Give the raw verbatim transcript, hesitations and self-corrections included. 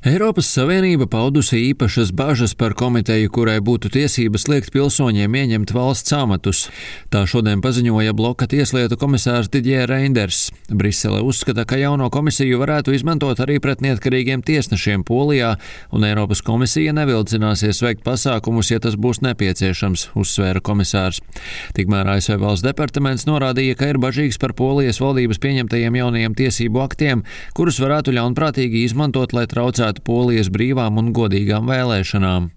Eiropas Savienība paudusi īpašas bažas par komiteju, kurai būtu tiesības liekt pilsoņiem ieņemt valsts amatus. Tā šodien paziņoja bloka tieslietu komisārs Didier Reinders. Brisele uzskata, ka jauno komisiju varētu izmantot arī pret neatkarīgiem tiesnešiem Polijā, un Eiropas komisija nevilcināsies veikt pasākumus, ja tas būs nepieciešams, uzsvēra komisārs. Tikmēr A S V valsts departaments norādīja, ka ir bažīgs par Polijas valdības pieņemtajiem jaunajiem tiesību aktiem, kurus varētu ļaunprātīgi izmantot, lai traucētu Polijas brīvām un godīgām vēlēšanām.